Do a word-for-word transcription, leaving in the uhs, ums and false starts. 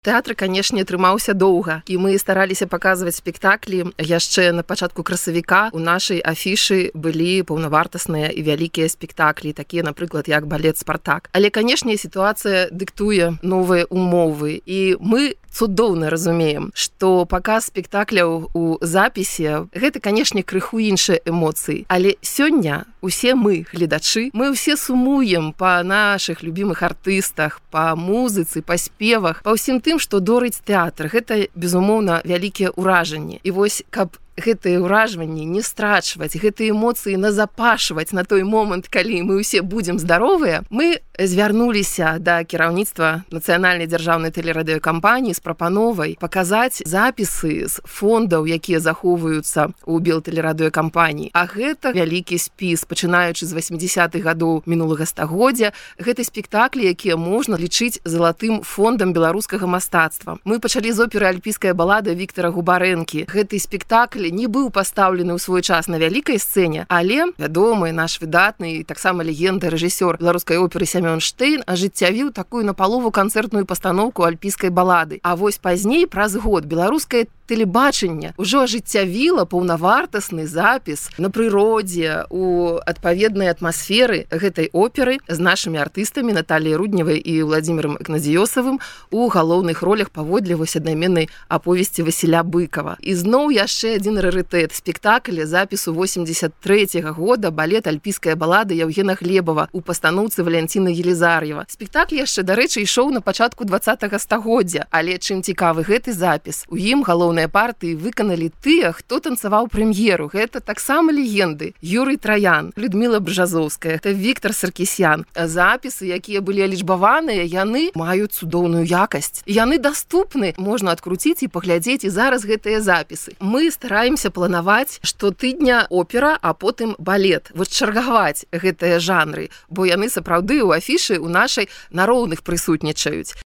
Тэатр, канешне, трымаўся доўга, і мы стараліся паказваць спектаклі яшчэ на пачатку красавіка. У нашай афішы былі паўнавартасныя і вялікія спектаклі, такія, напрыклад, як балет «Спартак». Але, канешне, сітуацыя дыктуе новыя умовы, і мы цудоўна разумеем, што паказ спектакляў у запісе гэта, канешне, крыху іншыя эмоцыі. Але сёння усе мы, гледачы, мы ўсе сумуем па нашых любімых артыстах, па музыцы, па спевах, па ўсім тым, што дорыць тэатр. Гэта, безумоўна, вялікія ўражанні. І вось, каб гэтыя ўражванні не страчваць, гэтыя эмоцыі назапашваць на той момант, калі мы ўсе будзем здаровыя, мы звярнуліся да кіраўніцтва нацыянальнай дзяржаўнай тэлерадыёкампаніі з прапановай паказаць запісы з фондаў, якія захоўваюцца ў белтэлерадыёкампаніі. А гэта вялікі спіс, пачынаючы з васьмідзясятых гадоў мінулага стагоддзя. Гэта спектаклі, якія можна лічыць залатым фондам беларускага мастацтва. Мы пачалі з оперы «Альпійская балада» Віктара Губарэнкі. Гэты спектакль не быў пастаўлены ў свой час на вялікай сцэне, але вядомы наш выдатны і таксама легенда рэжысёр беларускай оперы Сямён Штейн ажыццявіў такую напалову канцэртную пастаноўку «Альпійскай балады». А вось пазней, праз год, беларускае тэлебачанне ўжо ажыццявіла паўнавартасны запіс на прыродзе у адпаведнай атмасферы гэтай оперы з нашымі артыстамі Наталіяй Рудневай і Владзімірам Ігнадзіёсавым у галоўных ролях паводле вось аднайменнай аповесці Васіля Быкава. І зноў яшчэ адзін рарытэт. Спектакль запісу восемьдесят трэцяга года балет «Альпійская балада» Яўгена Глебава у пастаноўцы Валянціна Елізар'ева. Спектакль яшчэ, дарэчы, ішоў на пачатку двадцатага стагоддзя, але чым цікавы гэты запіс? У ім галоўныя партыі выканалі тыя, хто танцаваў прэм'еру. Гэта таксама легенды. Юрый Траян, Людміла Бжазоўская, это Віктар Саркісян. Запісы, якія былі алічбаваныя, яны маюць цудоўную якасць. Яны даступны, можна адкруціць і паглядзець і зараз гэтыя запісы. Мы стараемся планаваць штотыдня опера, а потым балет. Вось чаргаваць гэтыя жанры, бо яны сапраўды ў афішы ў нашай на роўных прысутнічаюць.